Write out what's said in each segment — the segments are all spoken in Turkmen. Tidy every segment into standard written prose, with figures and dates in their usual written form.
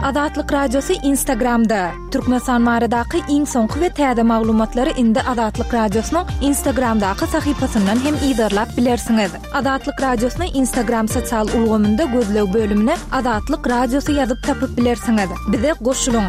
Azatlyk Radiosy Instagramda! Türkmenistan baradaky iň soňky we täze maglumatlary indi Azatlyk Radiosynyň Instagramdaky sahypasyndan hem yzarlap bilersiňiz. Azatlyk Radiosyny Instagram sosial ulgamynda gözleg bölümine Azatlyk Radiosy ýazyp tapyp bilersiňiz. Bize goşulyň!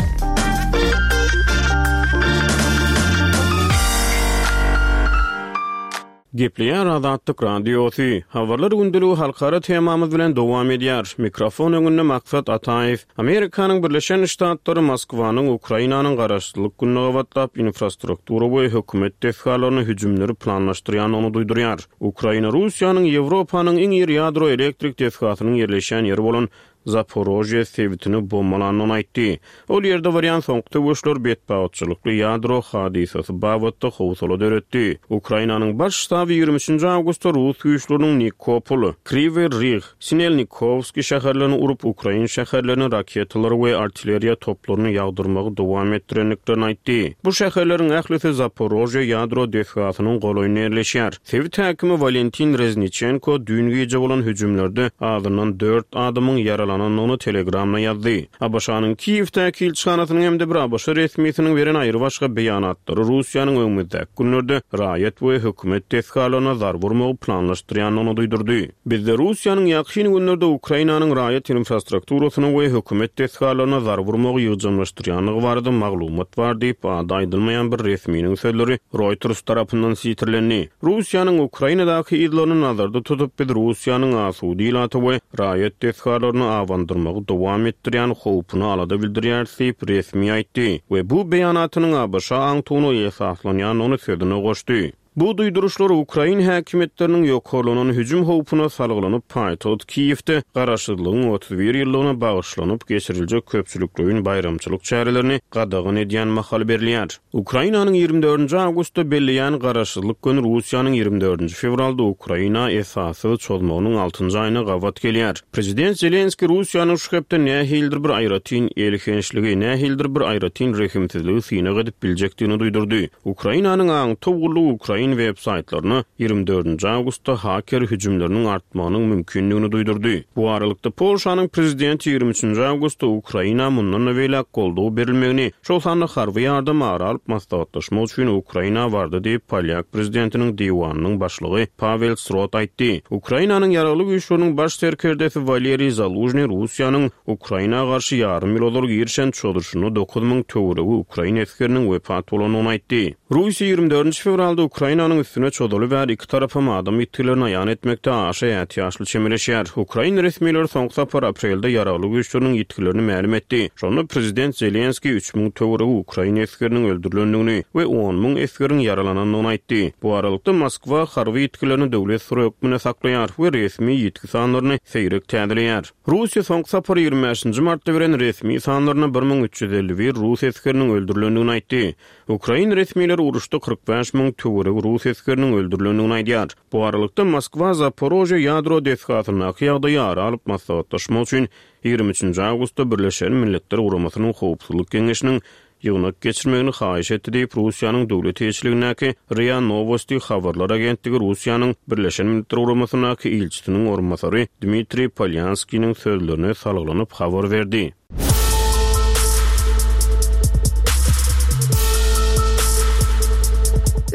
Gepleýär Azatlyk Radiosy. Habarlar gündeligi halkara temamyz bilen dowam edýär. Mikrofon öňünde Maksat Ataýew. Amerikanyň Birleşen Ştatlary Moskwanyň Ukrainanyň Garaşsyzlyk gününe gabatlap infrastruktura we hökümet desgalaryna hüjümleri planlaşdyrýandygyny duýdurýar. Ukraina Russiýanyň Ýewropanyň iň iri ýadro elektrik desgasynyň ýerleşýän ýeri bolan Zaporožýe sebitini bombalandygyny aýtdy. Ol ýerde barýan soňky söweşler betbagtçylykly ýadro hadysasy babatda howsala döretdi. Ukrainanyň Baş ştaby 23-nji awgustda rus güýçleriniň Nikopol, Kriwiý Rih, Sinelnikowskiý şäherlerini urup, ukrain şäherlerine raketalary we artilleriýa toplaryny ýagdyrmagy dowam etdirendiklerini aýtdy. Bu şäherleriň ählisi Zaporožýe ýadro desgasynyň golaýynda ýerleşýär. Sebit häkimi Walentin Rezniçenko düýn gije bolan hüjümlerde azyndan dört adamyň ýaralanandygyny Telegramda ýazdy. ABŞ-nyň Kiýewdäki ilçihanasynyň hem-de bir ABŞ resmisiniň beren aýrybaşga beýanatlary Russiýanyň öňümizdäki günlerde raýat we hökümet desgalaryna zarba urmagy planlaşdyrýandygyny duýdurdy. Bizde Russiýanyň ýakyn günlerde Ukrainanyň raýat infrastrukturasyna we hökümet desgalaryna zarba urmagy ýygjamlaşdyrýandygy barada maglumat bar diýip, ady aýdylmaýan bir resminiň sözleri Reuters tarapyndan sitirlendi. Russiýanyň Ukrainadaky yzlaryny nazarda tutup, biz Russiýanyň asuda ilata we raýat desgalaryna abandyrmagy dowam etdirýän howpuna alada bildirýäris diýip, resmi aýtdy we bu beýanatynyň ABŞ aňtawyna esaslanýandygyny sözüne goşdy. Bu duýduryşlar ukrain häkimiýetleriniň ýokarlanan hüjüm howpuna salgylanyp, paýtagt Kiýewde Garaşsyzlygyň 31 ýyllygyna bagyşlanyp geçiriljek köpçülikleýin baýramçylyk çärelerini gadagan edýän mahaly berilýär. Ukrainanyň 24-nji awgustda belleýän Garaşsyzlyk güni Russiýanyň 24-nji fewralda Ukraina esassyz çozmagynyň altynjy aýyna gabat gelýär. Prezident Zelenskiý Russiýanyň şu hepde nähilidir bir aýratyn elhençligi, nähilidir bir aýratyn rehimsizligi synag edip biljekdigini duýdurdy. Ukrainanyň aňtaw gullugy ukrain web-saýtlaryna 24-nji awgustda haker hüjümleriniň artmagynyň mümkindigini duýdurdy. Bu aralykda, Polşanyň prezidenti 23-nji awgustda Ukraina mundan-da beýläk goldaw berilmegini, şol sanda harby ýardam ara alyp maslahatlaşmak üçin Ukraina bardy diýip, polýak prezidentiniň diwanynyň başlygy Pawel Srot aýtdy. Ukrainanyň Ýaragly Güýçleriniň baş serkerdesi Waleriý Zalužnyý Russiýanyň Ukraina garşy ýarym ýyl ozal girişen çozuşynda 9000 töweregi ukrain esgeriniň wepat bolandygyny aýtdy. Russiýa 24 fewralda Ukrainanyň üstüne çozaly bäri iki tarapam adam ýitgilerini aýan etmekde aşa ätiýaçly çemeleşýär. Ukrain resmileri soňky sapar aprelde ýaragly güýçleriniň ýitgilerini mälim etdi. Şonda prezident Zelenskiý 3000 töweregi ukrain esgeriniň öldürilendigini we 10,000 esgeriň ýaralanandygyny aýtdy. Bu aralykda, Moskwa harby ýitgilerini döwlet syry hökmünde saklaýar we resmi ýitgi sanlaryny seýrek täzeleýär. Russiýa soňky sapar 25-nji martda beren resmi sanlarynda 1351 rus esgeriniň öldürilendigini aýtdy. Ukrain resmileri uruşda 45 000 töweregi rus esgeriniň öldürilendigini aýdýar. Bu aralykda, Moskwa Zaporožýe ýadro desgasyndaky ýagdaýy ara alyp maslahatlaşmak üçin 23-nji awgustda Birleşen Milletler Guramasynyň Howpsuzlyk Geňeşiniň ýygnak geçirmegini haýyş etdi diýip, Russiýanyň döwlet eýeçiligindäki RIA Nowosti habarlar agentligi Russiýanyň Birleşen Milletler Guramasyndaky ilçisiniň orunbasary Dmitriý Polýanskiniň sözlerine salgylanyp habar berdi.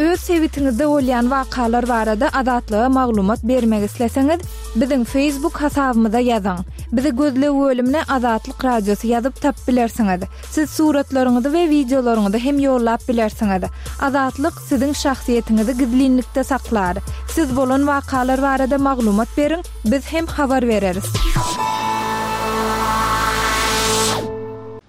Öz sebitiňizde bolýan wakalar barada Azatlyga maglumat bermek isleseňiz, biziň Facebook hasabymyza ýazyň. Bizi gözleg bölümine Azatlyk Radiosy ýazyp tapyp bilersiňiz. Siz suratlaryňyzy we wideolaryňyzy hem ýollap bilersiňiz. Azatlyk siziň şahsyýetiňizi gizlinlikde saklar. Siz bolan wakalar barada maglumat beriň, biz hem habar bereris.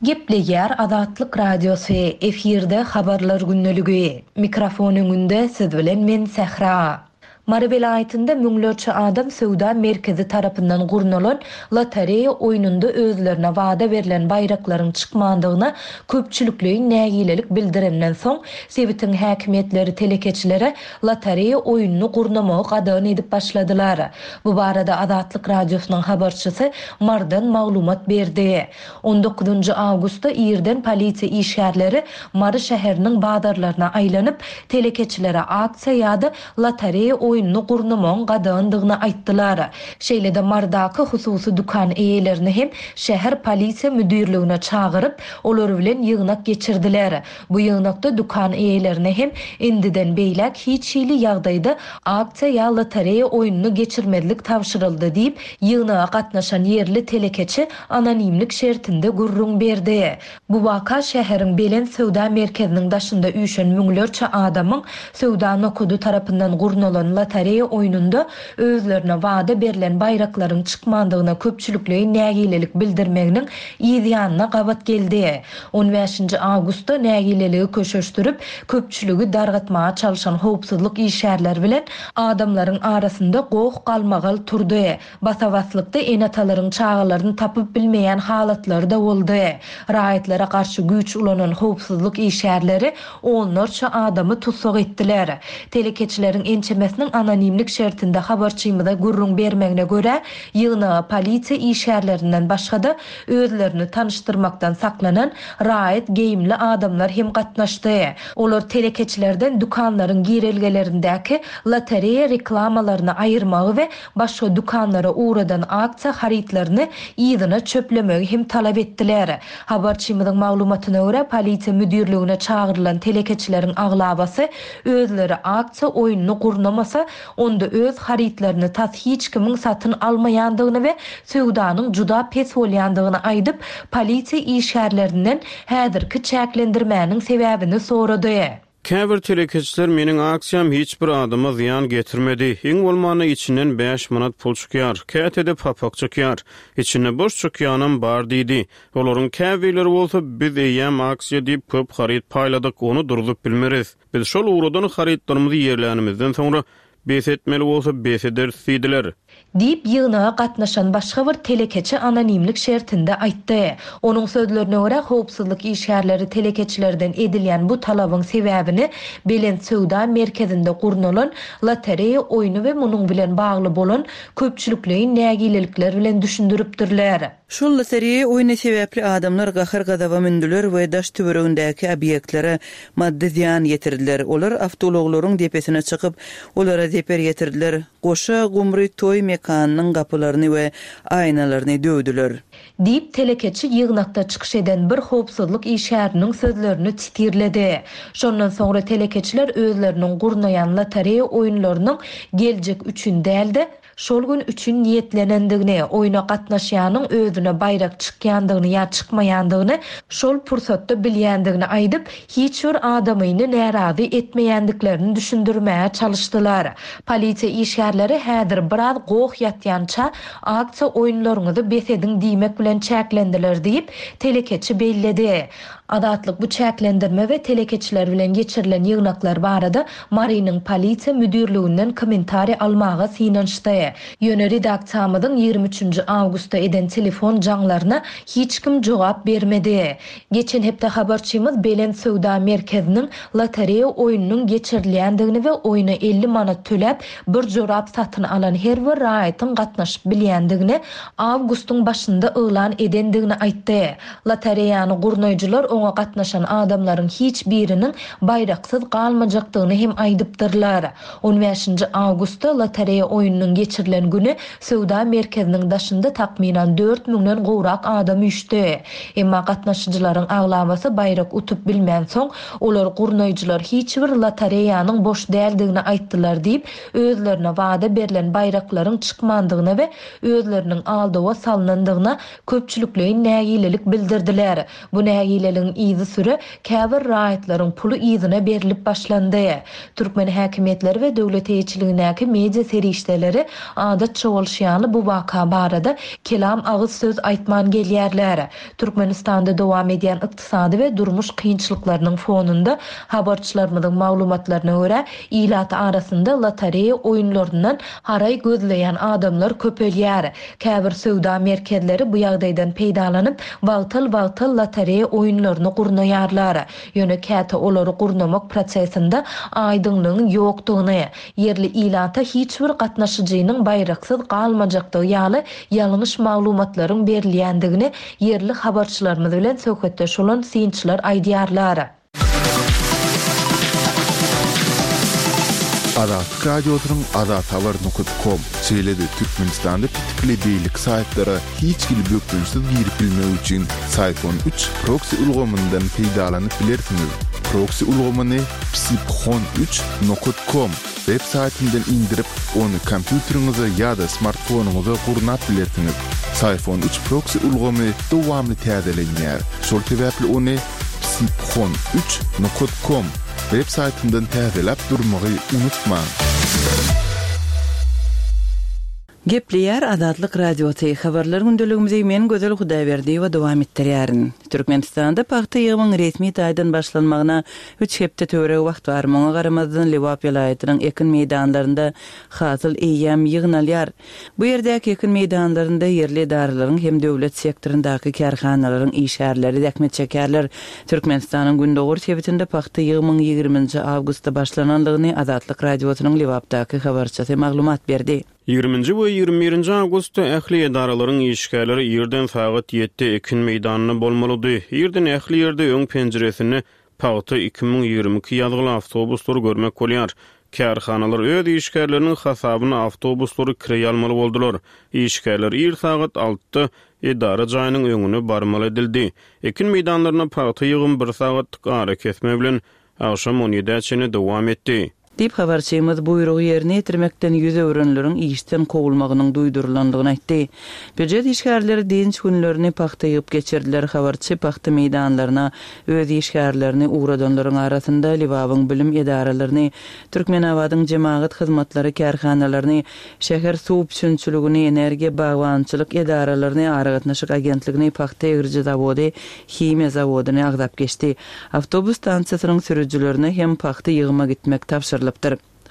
Gepleýär Azatlyk Radiosy, efirde Habarlar gündeligi. Mikrofon öňünde siz bilen men Sähra. Mary welaýatynda müňlerçe adam söwda merkezi tarapyndan gurnalan lotereýa oýnunda özlerine wada berlen baýraklaryň çykmandygyna köpçülikleýin nägilelik bildirenden soň, sebitiň häkimiýetleri telekeçilere lotereýa oýnuny gurnamagy gadagan edip başladylar. Bu barada Azatlyk Radiosynyň habarçysy Marydan maglumat berdi. On dokuzynjy awgustda irden polisiýa işgärleri Mary şäheriniň bazarlaryna aýlanyp, telekeçilere aksiýa ýa-da lotereýa oýnuny. oýnuny gurnamagyň gadagandygyny aýtdylar. Şeýle-de Marydaky hususy dükan eýelerini hem şäher polisiýa müdirligine çagyryp, olar bilen ýygnak geçirdiler. Bu ýygnakda dükan eýelerine hem indiden beýläk hiç hili ýagdaýda aksiýa ýa lotereýa oýnuny geçirmezlik tabşyryldy diýip, ýygnaga gatnaşan ýerli telekeçi anonimlik şertinde gürrüň berdi. Bu waka şäheriň Belent söwda merkeziniň daşynda üýşen müňlerçe adamyň söwda nokady tarapyndan gurnalan lotereýa oýnunda özlerine wada berlen baýraklaryň çykmandygyna köpçülikleýin nägilelik bildirmeginiň yz ýanyna gabat geldi. On bäşinji awgustda nägileligi köşeşdirip, köpçüligi dargatmaga çalşan howpsuzlyk işgärleri bilen adamlaryň arasynda goh-galmagal turdy. Basa-baslykda ene-atalaryň çagalaryny tapyp bilmeýän halatlary-da boldy. Raýatlara garşy güýç ulanan howpsuzlyk işgärleri onlarça adamy tussag etdiler. Telekeçileriň ençemesiniň anonimlik şertinde habarçymyza gürrüň bermegine görä, ýygnaga polisiýa işgärlerinden başga-da, özlerini tanyşdyrmakdan saklanan raýat geýimli adamlar hem gatnaşdy. Olar telekeçilerden dükanlaryň girelgelerindäki lotereýa reklamalaryny aýyrmagy we başga dükanlara ugradan aksiýa harytlaryny yzyna çöplemegi hem talap etdiler. Habarçymyzyň maglumatyna görä, polisiýa müdirligine çagyrylan telekeçileriň aglabasy özleri aksiýa oýnuny gurnamasa, onda öz harytlaryny tas hiç kimiň satyn almaýandygyny we söwdanyň juda pes bolýandygyny aýdyp, polisiýa işgärlerinden häzirki çäklendirmäniň sebäbini sorady. Käbir telekeçiler meniň aksiýam hiç bir adama zyýan getirmedi, iň bolmanda içinden bäş manat pul çykýar, käte-de papak çykýar, içinde boş çykýanam bar diýdi. Olaryň käbirleri bolsa biz eýýäm aksiýa diýip köp haryt paýladyk, ony durzup bilmeris. Biz şol ugradan harytlarymyzy ýerlänimizden soňra bes etmeli bolsa bes ederis diýdiler. Diýip, ýygnaga gatnaşan başga bir telekeçi anonimlik şertinde aýtdy. Onuň sözlerine görä, howpsuzlyk işgärleri telekeçilerden edilýän bu talabyň sebäbini Belent söwda merkezinde gurnalan lotereýa oýny we munuň bilen bagly bolan köpçülikleýin nägilelikler bilen düşündiripdirler. Şol lotereýa oýny sebäpli adamlar gahar-gazaba mündüler we daş-töweregindäki obýektlere maddy zyýan ýetirdiler. Olar awtoulaglaryň depesine çykyp, olara zeper ýetirdiler, goşa gumry toý mekanynyň gapylaryny we aýnalaryny döwdüler. Diýip, telekeçi ýygnakda çykyş eden bir howpsuzlyk işgäriniň sözlerini titirledi. Şondan soňra telekeçiler özleriniň gurnaýan lotereýa oýunlarynyň geljek üçin däl-de, şol gün üçin niýetlenendigini, oýna gatnaşýanyň özüne baýrak çykýandygyny ýa çykmaýandygyny şol pursatda bilýändigini aýdyp, hiç bir adamyny närazy etmeýändiklerini düşündirmäge çalyşdylar. Polisiýa işgärleri häzir biraz goh ýatýança aksiýa oýunlaryňyzy bes ediň diýmek bilen çäklendiler diýip, telekeçi belledi. Azatlyk bu çäklendirme we telekeçiler bilen geçirilen ýygnaklar barada Marynyň polisiýa müdirliginden kommentariý almaga synanyşdy. Ýöne redaksiýamyzyň 23 nji awgustda eden telefon jaňlaryna hiç kim jogap bermedi. Geçen hepde habarçymyz Belent söwda merkeziniň lotereýa oýnunyň geçirilýändigini we oýna 50 manat töläp, bir jorap satyn alan her bir raýatyň gatnaşyp bilýändigini awgustyň başynda yglan edendigini aýtdy. Lotereýany gurnaýjylar oňa gatnaşan adamlaryň hiç biriniň baýraksyz galmajakdygyny hem aýdypdyrlar. On bäşinji awgustda lotereýa oýnunyň geçirilen güni söwda merkeziniň daşynda takmynan dört müňden gowrak adam üýşdi. Emma gatnaşyjylaryň aglabasy baýrak utup bilmänsoň, olar gurnaýjylar hiç bir lotereýanyň boş däldigini aýtdylar diýip, özlerine wada berlen baýraklaryň çykmandygyna we özleriniň aldawa salnandygyna köpçülikleýin nägilelik bildirdiler. Bu nägileligiň yzysüre käbir raýatlaryň puly yzyna berlip başlandy. Türkmen häkimiýetleri we döwlet eýeçiligindäki media serişdeleri adatça bolşy ýaly bu waka barada kelam agyz söz aýtman gelýärler. Türkmenistanda dowam edýän ykdysady we durmuş kynçylyklarynyň fonunda, habarçylarymyzyň maglumatlaryna görä, ilat arasynda lotereýa oýunlaryndan haraý gözleýän adamlar köpelýär. Käbir söwda merkezleri bu ýagdaýdan peýdalanyp, wagtal-wagtal lotereýa oýunlaryny gurnaýarlar. Ýöne käte olary gurnamak prosesinde aýdyňlygyň ýokdugyny, ýerli ilata hiç bir gatnaşyjynyň baýraksyz galmajakdygy ýaly ýalňyş maglumatlaryň berilýändigini ýerli habarçylarymyz bilen söhbetdeş bolan synçylar aýdýarlar. Azatlyk Radiosynyň azathabar nokat kom, şeýle-de Türkmenistanda petikli beýleki saýtlara hiç hili bökdençsiz girip bilmek üçin Syphon üç proksi ulgamyndan peýdalanyp bilersiňiz. Proksi ulgamyny psiphon üç nokat kom web saýtyndan indirip, ony kompýuteriňize ýa-da smartfonyňyza gurnap bilersiňiz. Syphon üç proksi ulgamy dowamly täzelenýär, şol sebäpli ony psiphon üç nokat kom web saýtyndan täzeläp durmagy unutmaň! Gepleýär Azatlyk Radiosy, Habarlar gündeligimizi men Gözel Hudaýberdiýewa dowam etdirýärin. Türkmenistanda pagta ýygymyň resmi taýdan başlanmagyna üç hepde töweregi wagt bar. Muňa garamazdan Lebap welaýatynyň ekin meýdanlarynda hasyl eýýäm ýygnalýar. Bu ýerdäki ekin meýdanlarynda ýerli edaralaryň hem döwlet sektoryndaky kärhanalaryň işgärleri zähmet çekýärler. Türkmenistanyň gündogar sebitinde pagta ýygymyň ýigriminji awgustda başlanandygyny Azatlyk Radiosynyň Lebapdaky habarçysy maglumat berdi. Ýigriminji we 21 nji awgustda ähli edaralaryň işgärleri irden sagat ýedide ekin meýdanynda bolmalydy. Irden ähli ýerde öň penjiresinde Pagta 2022 ýazgyly awtobuslary görmek bolýar. Kärhanalar öz işgärleriniň hasabyna awtobuslary kireý almaly boldular. Işgärler ir sagat altyda edara jaýynyň öňüne barmaly edildi. Ekin meýdanlarynda pagta ýygymy bir sagatlyk arakesme bilen agşam on ýedä çenli dowam etdi. Diýip, habarçymyz buýrugy ýerine ýetirmekden ýüz öwrenleriň işden kowulmagynyň duýdurylandygyny aýtdy. Býujet işgärleri dynç günlerini pagta ýygyp geçirdiler. Habarçy pagta meýdanlaryna öz işgärlerini ugradanlaryň arasynda Lebabyň bilim edaralaryny, Türkmenabadyň jemagat hyzmatlary kärhanalaryny, şäher suw üpjünçiligini, energiýa, bagbançylyk edaralaryny, aragatnaşyk agentligini, pagta egriji zawody, himiýa zawodyny agzap geçdi. Awtobus stansiýasynyň sürüjilerine hem pagta ýygyma gitmek tabşyrylypdyr.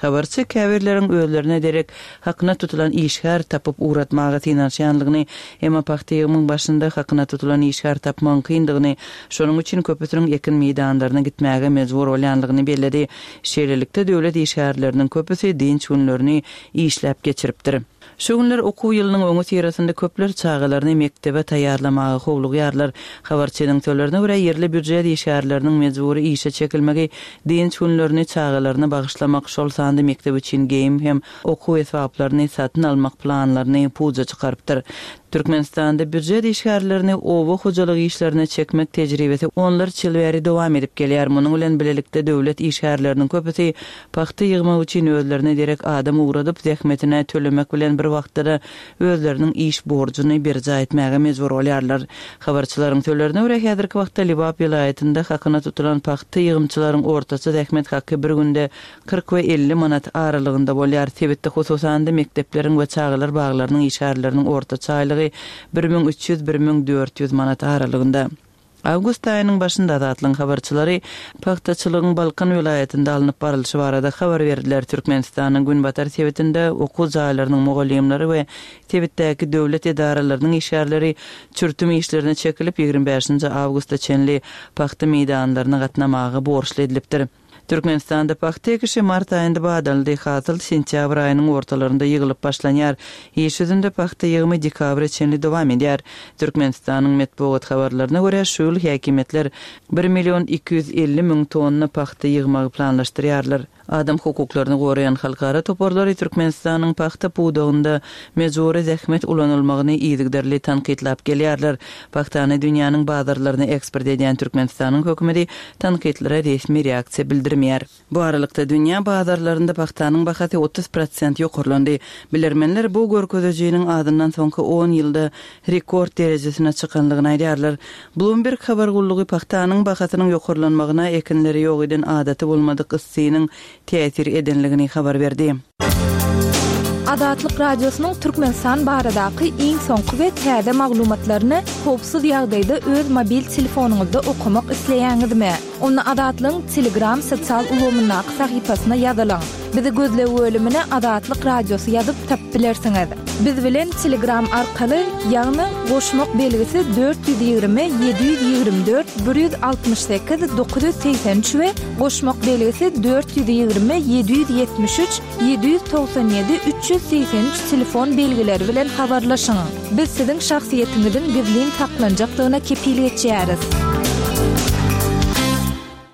Habarçy käbirleriň özlerine derek hakyna tutulan işgär tapyp ugratmaga synanyşýanlygyny, emma pagta ýygymyň başynda hakyna tutulan işgär tapmagyň kyndygyny, şonuň üçin köpüsiniň ekin meýdanlaryna gitmäge mejbur bolýanlygyny belledi. Şeýlelikde, döwlet işgärleriniň köpüsi dynç günlerini işläp geçiripdir. Şu günler okuw ýylynyň öňüsyrasynda köpler çagalaryny mekdebe taýýarlamaga howlugýarlar. Habarçynyň sözlerine görä, ýerli býujet işgärleriniň mejbury işe çekilmegi dynç günlerini çagalaryna bagyşlamak, şol sanda mekdep üçin geýim hem okuw esbaplaryny satyn almak planlaryny puja çykarypdyr. Türkmenistanda býujet işgärlerini oba hojalyk işlerine çekmek tejribesi onlarça ýyl bäri dowam edip gelýär. Munuň bilen bilelikde döwlet işgärleriniň köpüsi Pagta ýygmak üçin özlerine derek adam ugradyp, zähmetine tölemek bilen bir wagtda-da özleriniň iş borjuny berjaý etmäge mejbur bolýarlar. Habarçylaryň sözlerine görä, häzirki wagtda Lebap welaýatynda hakyna tutulan pagta ýygymçylaryň ortaça zähmet haky bir günde 40 we 50 manat aralygynda bolýar. Sebitde hususan-da mekdepleriň we çagalar baglarynyň işgärleriniň ortaça aýlygy 1300, 1400 manat aralygynda. Awgust aýynyň başynda Azatlygyň habarçylary pagtaçylygyň Balkan welaýatynda alnyp barlyşy barada habar berdiler. Türkmenistanyň günbatar sebitinde okuw jaýlarynyň mugallymlary we sebitdäki döwlet edaralarynyň işgärleri çürtüm işlerine çekilip, 25-nji awgusta çenli pagta meýdanlaryna gatnamaga borçly edilipdir. Türkmenistanda pagta ekişi mart aýynda badaldy, hasyl sentýabr aýynyň ortalarynda ýygylyp başlanýar. Iş ýüzünde pagta ýygymy dekabra çenli dowam edýär. Türkmenistanyň metbugat habarlaryna görä, şu ýyl häkimiýetler bir million 250 müň tonna pagta ýygmagy planlaşdyrýarlar. Adam hukuklaryny goraýan halkara toparlary Türkmenistanyň pagta pudagynda mejbury zähmet ulanylmagyny yzygiderli tankytlap gelýärler. Pagtany dünýäniň bazarlaryna eksport edýän Türkmenistanyň hökümeti tankytlara resmi reaksiýa bildirmeýär. Bu aralykda, dünýä bazarlarynda pagtanyň bahasy 30 prosent ýokarlandy. Bilermenler bu görkezijiniň azyndan soňky on ýylda rekord derejesine çykanlygyny aýdýarlar. Bloomberg habar gullugy pagtanyň bahasynyň ýokarlanmagyna ekinleri ýok eden adaty bolmadyk yssynyň täsir edenligini habar berdi. Azatlyk Radiosynyň Türkmenistan baradaky iň soňky we täze maglumatlaryny howpsuz ýagdaýda öz mobil telefonyňyzda okamak isleýäňizmi? Onda Azatlygyň Telegram sosial ulgamyndaky sahypasyna ýazylyň. Bizi gözleg bölümine Azatlyk Radiosy ýazyp tapyp bilersiňiz. Biz bilen Telegram arkaly, ýagny goşmak belgisi 420 724 168 983 we goşmak belgisi 420 773 797 383 telefon belgileri bilen habarlaşyň. Biz siziň şahsyýetiňiziň gizlin saklanjakdygyna kepil geçýäris.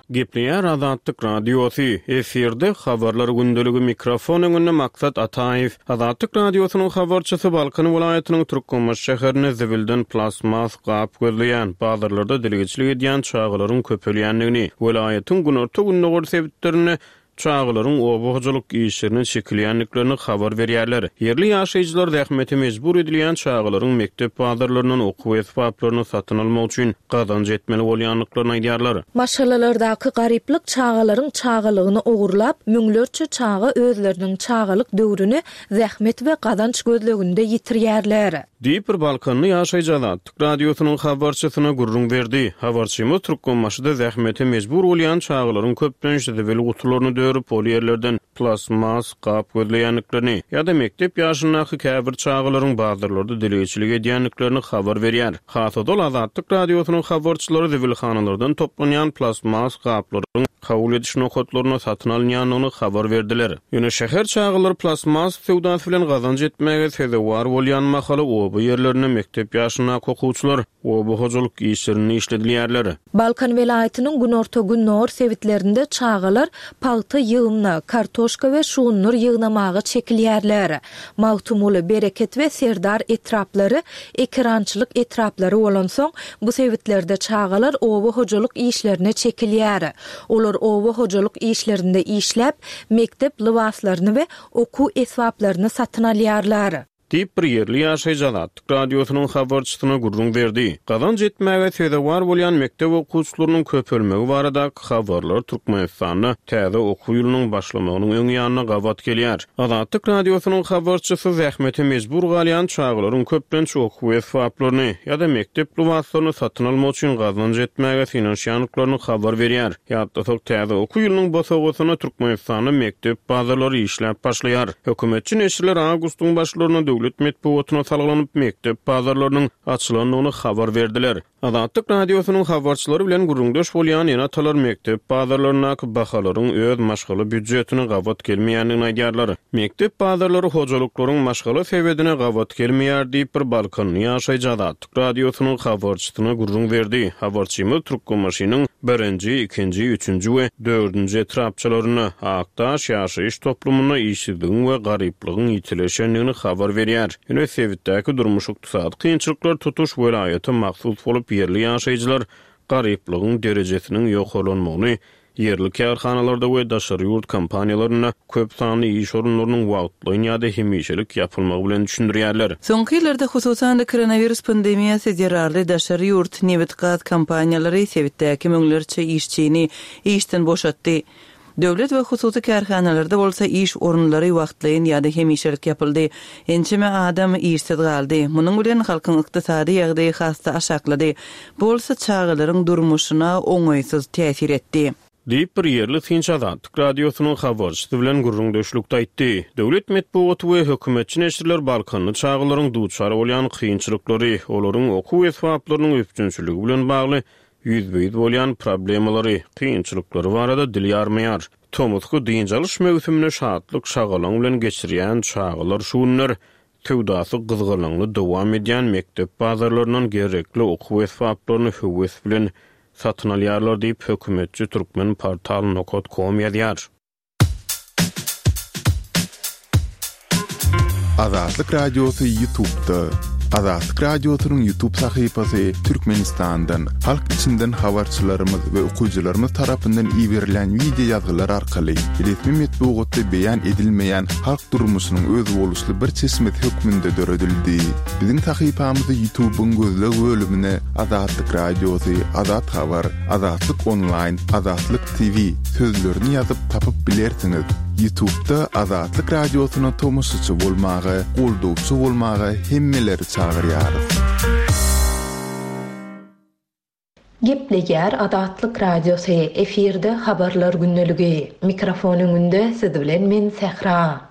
Gepleýär Azatlyk Radiosy, efirde Habarlar gündeligi mikrofon öňünde Maksat Ataýew. Azatlyk Radiosynyň habarçysy Balkan welaýatynyň Türkmenbaşy şäherinde zibilden plastmas gap gözleýän, bazarlarda dilegçilik edýän çagalaryň köpelýändigini, welaýatyň günorta-gündogar sebitlerinde çagalaryň oba hojalyk işlerine çekilýändiklerini habar berýärler. Ýerli ýaşaýjylar zähmete mejbur edilýän çagalaryň mekdep bazarlaryndan okuw esbaplaryny satyn almak üçin gazanç etmeli bolýandyklaryny aýdýarlar. Maşgalalardaky garyplyk çagalaryň çagalygyny ogurlap, müňlerçe çaga özleriniň çagalyk döwrüni zähmet we gazanç gözleginde ýitirýärler. Diýip, bir balkanly ýaşaýjy Azatlyk Radiosynyň habarçysyna gürrüň berdi. Habarçymyz Türkmenbaşyda zähmete mejbur bolýan çagalaryň köplenç zibil gutularyny dörüp, ol ýerlerden plastmas gap gözleýändiklerini ýa-da mekdep ýaşyndaky käbir çagalaryň bazarlarda dilegçilik edýändiklerini habar berýär. Has ozal Azatlyk Radiosynyň habarçylary zibilhanalardan toplanýan plastmas gaplaryň kabul ediş nokatlarynda satyn alynýandygyny habar berdiler. Ýöne şäher çagalary plastmas söwdasy bilen gazanç etmäge sezewar bolýan mahaly oba ýerlerinde mekdep ýaşyndaky okuwçylar oba hojalyk işlerinde işledilýärler. Balkan welaýatynyň günorta-gündogar sebitlerinde çagalar pagta ýygymyna, kartoşka we şugundyr ýygnamaga çekilýärler. Magtymguly, Bereket we Serdar etraplary ekerançylyk etraplary bolansoň, bu sebitlerde çagalar oba hojalyk işlerine çekilýär. Olar oba hojalyk işlerinde işläp, mekdep lybaslaryny we okuw esbaplaryny satyn alýarlar. Diýip, bir ýerli ýaşaýjy Azatlyk Radiosynyň habarçysyna gürrüň berdi. Gazanç etmäge sezewar bolýan mekdep okuwçylarynyň köpelmegi baradaky habarlar Türkmenistanda täze okuw ýylynyň başlamagynyň öň ýanyna gabat gelýär. Azatlyk Radiosynyň habarçysy zähmete mejbur galýan çagalaryň köplenç okuw esbaplaryny ýa-da mekdep lybaslaryny satyn almak üçin gazanç etmäge synanyşýandyklaryny habar berýär. Ýatlasak, täze okuw ýylynyň bosagasynda Türkmenistanda mekdep bazarlary işläp başlaýar. Hökümetçi neşirler awgustyň başlarynda döwlet metbugatyna salgylanyp, mekdep bazarlarynyň açylandygyny habar berdiler. Azatlyk Radiosynyň habarçylary bilen gürrüňdeş bolýan ene-atalar mekdep bazarlaryndaky bahalaryň öz maşgala býudjetine gabat gelmeýändigini aýdýarlar. Mekdep bazarlary hojalyklaryň maşgala sebedine gabat gelmeýär diýip, bir balkanly ýaşaýjy Azatlyk Radiosynyň habarçysyna gürrüň berdi. Habarçymyz Türkmenbaşynyň birinji, ikinji, üçünji we dördünji etrapçalarynda, Akdaş ýaşaýyş toplumynda işsizligiň we garyplygyň ýitileşendigini habar berýär. Ýöne sebitdäki durmuş-ykdysady kynçylyklar tutuş welaýata mahsus bolup, ýerli ýaşaýjylar garyplygyň derejesiniň ýokarlanmagyny Ýerli kärhanalarda we daşary ýurt kompaniýalarynda köp sanly iş orunlarynyň wagtlaýyn ýa-da hemişelik ýapylmagy bilen düşündirýärler. Soňky ýyllarda, hususan-da, koronawirus pandemiýasy zerarly daşary ýurt nebit-gaz kompaniýalary sebitdäki müňlerçe işçini işden boşatdy. Döwlet we hususy kärhanalarda bolsa iş orunlary wagtlaýyn ýa-da hemişelik ýapyldy. Ençeme adam işsiz galdy. Munuň bilen halkyň ykdysady ýagdaýy has-da aşaklady. Bu bolsa çagalaryň durmuşyna oňaýsyz täsir etdi. Diýip, bir ýerli synçy Azatlyk Radiosynyň habarçysy bilen gürrüňdeşlikde aýtdy. Döwlet metbugaty we hökümetçi neşirler balkanly çagalaryň duçar bolýan kynçylyklary, olaryň okuw esbaplarynyň üpjünçiligi bilen bagly ýüzbe-ýüz bolýan problemalary, kynçylyklary barada dil ýarmaýar. Tomusky dynç alyş möwsümini şatlyk-şagalaň bilen geçirýän çagalar şu günler Söwdasy gyzgalaňly dowam edýän mekdep bazarlaryndan gerekli okuw esbaplaryny höwes bilen satyn alýarlar diýip, hökümetçi Turkmenportal nokat kom ýazýar. Azatlyk Radiosy Ýutubda. Azatlyk Radiosynyň Ýutub sahypasy Türkmenistandan, halk içinden habarçylarymyz we okyjylarymyz tarapyndan iberilen wideo ýazgylar arkaly resmi metbugatda beýan edilmeýän halk durmuşynyň özboluşly bir çeşmesi hökmünde döredildi. Biziň sahypamyzy Ýutubyň gözleg bölümine Azatlyk Radiosy, Azat Habar, Azatlyk Onlaýn, Azatlyk TV sözlerini ýazyp tapyp bilersiňiz. Ýutubda Azatlyk Radiosyna tomaşaçy bolmaga, goldawçy bolmaga hemmeleri çagyrýarys. Gepleýär Azatlyk Radiosy, efirde Habarlar gündeligi. Mikrofon öňünde siz bilen men Sähra.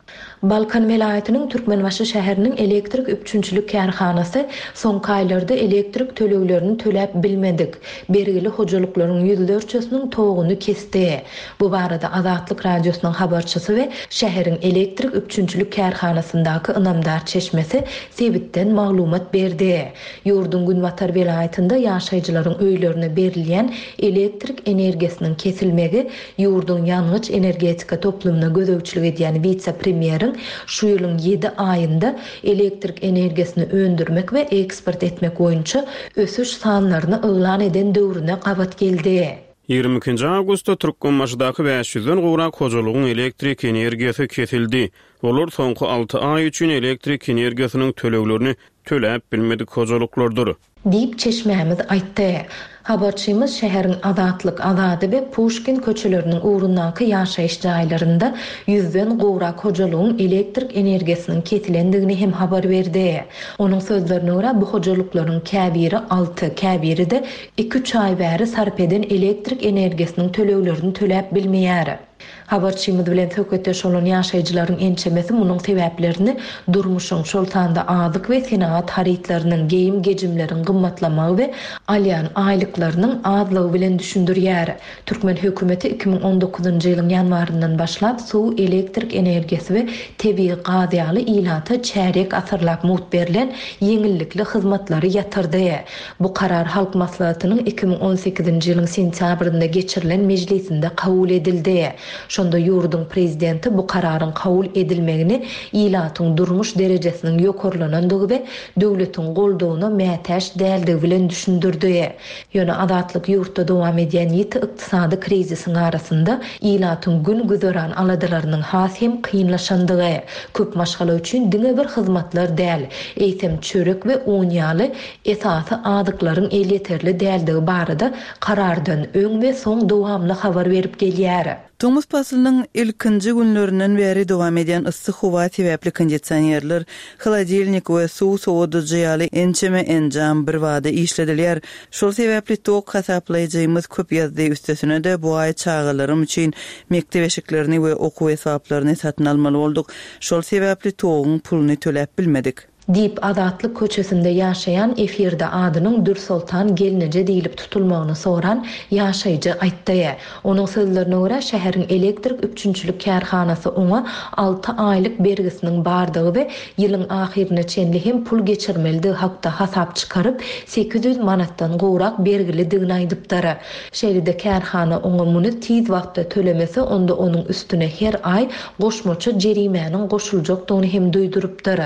Balkan welaýatynyň Türkmenbaşy şäheriniň elektrik üpjünçilik kärhanasy soňky aýlarda elektrik töleglerini töläp bilmedik, bergili hojalyklaryň ýüzlerçesiniň toguny kesdi. Bu barada Azatlyk Radiosynyň habarçysy we şäheriň elektrik üpjünçilik kärhanasyndaky ynamdar çeşmesi sebitden maglumat berdi. Ýurduň günbatar welaýatynda ýaşaýjylaryň öýlerine berilýän elektrik energiýasynyň kesilmegi ýurduň ýangyç-energetika toplumyna gözegçilik edýän wise-premýeriň şu ýylyň ýedi aýynda elektrik energiýasyny öndürmek we eksport etmek boýunça ösüş sanlaryny yglan eden döwrüne gabat geldi. 22-nji awgustda Türkmenbaşydaky bäş ýüzden gowrak hojalygyň elektrik energiýasy kesildi. Olar soňky alty aý üçin elektrik energiýasynyň töleglerini töläp bilmedik hojalyklardyr. Diýip, çeşmämiz aýtdy. Habarçymyz şäheriň Azatlyk, Azady we Puşkin köçeleriniň ugrundaky ýaşaýyş jaýlarynda ýüzden gowrak hojalygyň elektrik energiýasynyň kesilendigini hem habar berdi. Onuň sözlerine görä, bu hojalyklaryň käbiri alty, käbiri-de iki-üç aý bäri sarp eden elektrik energiýasynyň töleglerini töläp bilmeýär. Habarçymyz bilen söhbetdeş bolan ýaşaýjylaryň ençemesi munuň sebäplerini durmuşyň, şol sanda azyk we senagat harytlarynyň, geýim-gejimleriň gymmatlamagy we alýan aýlyklarynyň azlygy bilen düşündirýär. Türkmen hökümeti 2019-njy ýylyň ýanwaryndan başlap suw, elektrik energiýasy we tebigy gaz ýaly ilata çärýek asyrlap mugt berlen ýeňillikli hyzmatlary ýatyrdy. Bu karar Halk Maslahatynyň 2018-nji ýylyň sentýabrynda geçirilen mejlisinde kabul edildi. Şonda ýurduň Prezidenti bu kararyň kabul edilmegini ilatyň durmuş derejesiniň ýokarlanandygy we döwletiň goldawyna mätäç däldigi bilen düşündirdi. Ýöne Azatlyk ýurtda dowam edýän ýiti ykdysady krizisiň arasynda ilatyň gün-güzeran aladalarynyň has hem kynlaşandygy, köp maşgala üçin diňe bir hyzmatlar däl, eýsem çörek we un ýaly esasy azyklaryň elýeterli däldigi barada karardan öň we soň dowamly habar berip gelýär. Tomus paslynyň ilkinji günlerinden bäri dowam edýän yssy howa sebäpli kondisionerler, holodilnik we suw sowadyjy ýaly ençeme enjam birbada işledilýär. Şol sebäpli tok hasaplaýjymyz köp ýazdy, üstesine-de bu aý çagalarym üçin mekdep eşiklerini we okuw esbaplaryny satyn almaly bolduk. Şol sebäpli toguň puluny töläp bilmedik. Diýip, Azatlyk köçesinde ýaşaýan efirde adynyň Dürsoltan gelneje diýlip tutulmagyny soran ýaşaýjy aýtdy. Onuň sözlerine görä, şäheriň elektrik üpjünçilik kärhanasy oňa alty aýlyk bergisiniň bardygy we ýylyň ahyryna çenli hem pul geçirmelidigi hakda hasap çykaryp, 800 manatdan gowrak bergilidigini aýdypdyr. Şeýle-de kärhana oňa muny tiz wagtda tölemese, onda onuň üstüne her aý goşmaça jerimäniň goşuljakdygyny hem duýdurypdyr.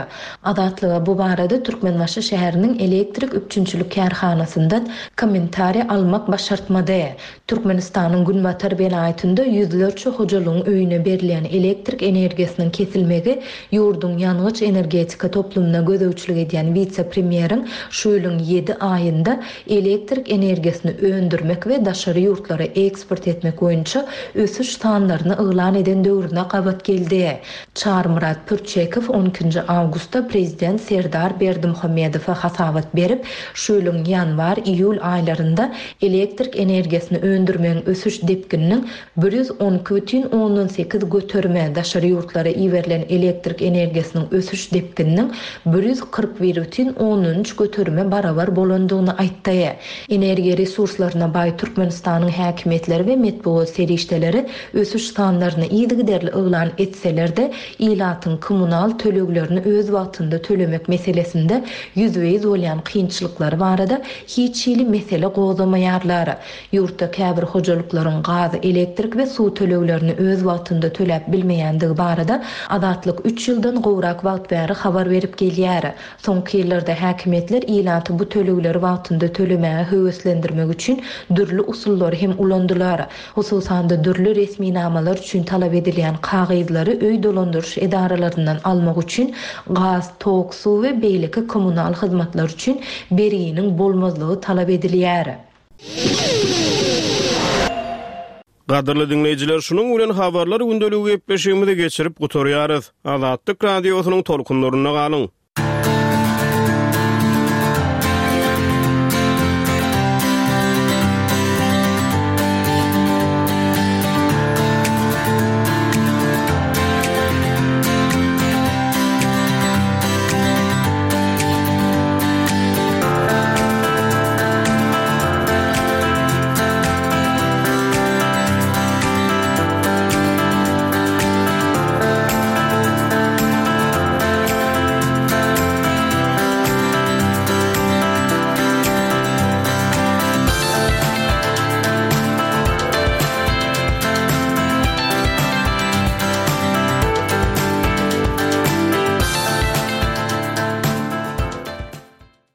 Azatlyga bu barada Türkmenbaşy şäheriniň elektrik üpjünçilik kärhanasyndan kommentariý almak başartmady. Türkmenistanyň günbatar welaýatynda ýüzlerçe hojalygyň öýüne berilýän elektrik energiýasynyň kesilmegi ýurduň ýangyç-energetika toplumyna gözegçilik edýän wise-premýeriň şu ýylyň ýedi aýynda elektrik energiýasyny öndürmek we daşary ýurtlara eksport etmek boýunça ösüş sanlaryny yglan eden döwrüne gabat geldi. Çarymyrat Pürçekow on ikinji awgustda prezident Serdar Berdimuhamedowa hasabat berip, şu ýylyň ýanwar-iýul aýlarynda elektrik energiýasyny öndürmegiň ösüş depgininiň 112 bütin ondan sekiz göterime, daşary ýurtlara iberilen elektrik energiýasynyň ösüş depgininiň 141 bütin ondan üç göterime barabar bolandygyny aýtdy. Energiýa resurslaryna baý Türkmenistanyň häkimiýetleri we metbugat serişdeleri ösüş sanlaryny yzygiderli yglan etseler-de, ilatyň kommunal töleglerini öz wagtynda tölemek meselesinde ýüzbe-ýüz bolýan kynçylyklary barada hiç hili mesele gozgamaýarlar. Ýurtda käbir hojalyklaryň gaz, elektrik we suw töleglerini öz wagtynda töläp bilmeýändigi barada Azatlyk üç ýyldan gowrak wagt bäri habar berip gelýär. Soňky ýyllarda häkimiýetler ilaty bu tölegleri wagtynda tölemäge höweslendirmek üçin dürli usullary hem ulandylar. Hususan-da, dürli resminamalar üçin talap edilýän kagyzlary öý dolandyryş edaralaryndan almak üçin gaz, tok, suw we beýleki kommunal hyzmatlar üçin berginiň bolmazlygy talap edilýär. Gadyrly diňleýjiler, şunuň bilen Habarlar gündeligi gepleşigimizi geçirip gutarýarys. Azatlyk Radiosynyň tolkunlarynda galyň!